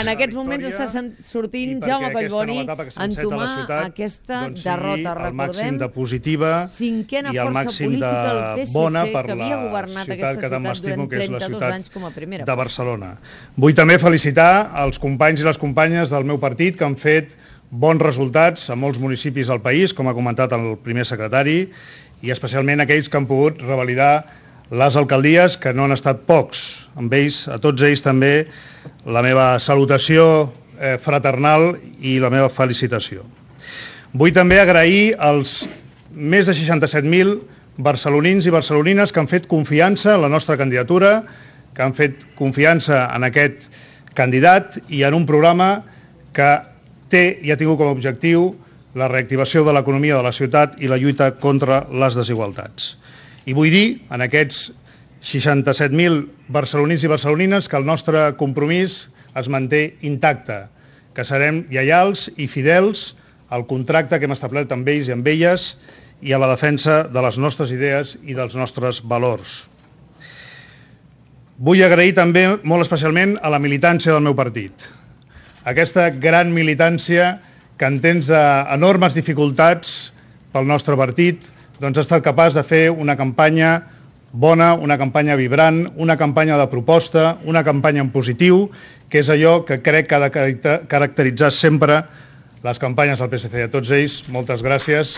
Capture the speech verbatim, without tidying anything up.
en aquests moments està sortint Jaume Collboni a entomar aquesta derrota. Recordem, cinquena força política del P S C que havia governat aquesta ciutat durant trenta-dos anys com a primera de Barcelona. Vull també felicitar els companys i les companyes del meu partit que han fet bons resultats a molts municipis del país, com ha comentat el primer secretari, i especialment aquells que han pogut revalidar les alcaldies, que no han estat pocs. Amb ells, a tots ells també, la meva salutació fraternal i la meva felicitació. Vull també agrair als més de seixanta-set mil barcelonins i barcelonines que han fet confiança en la nostra candidatura, que han fet confiança en aquest candidat i en un programa que té i ha tingut com a objectiu la reactivació de l'economia de la ciutat i la lluita contra les desigualtats. I vull dir, en aquests seixanta-set mil barcelonins i barcelonines, que el nostre compromís es manté intacte, que serem lleials i fidels al contracte que hem establert amb ells i amb elles i a la defensa de les nostres idees i dels nostres valors. Vull agrair també molt especialment a la militància del meu partit. Aquesta gran militància que en temps d'enormes dificultats pel nostre partit doncs ha estat capaç de fer una campanya bona, una campanya vibrant, una campanya de proposta, una campanya en positiu, que és allò que crec que ha de caracteritzar sempre les campanyes del P S C. A tots ells, moltes gràcies.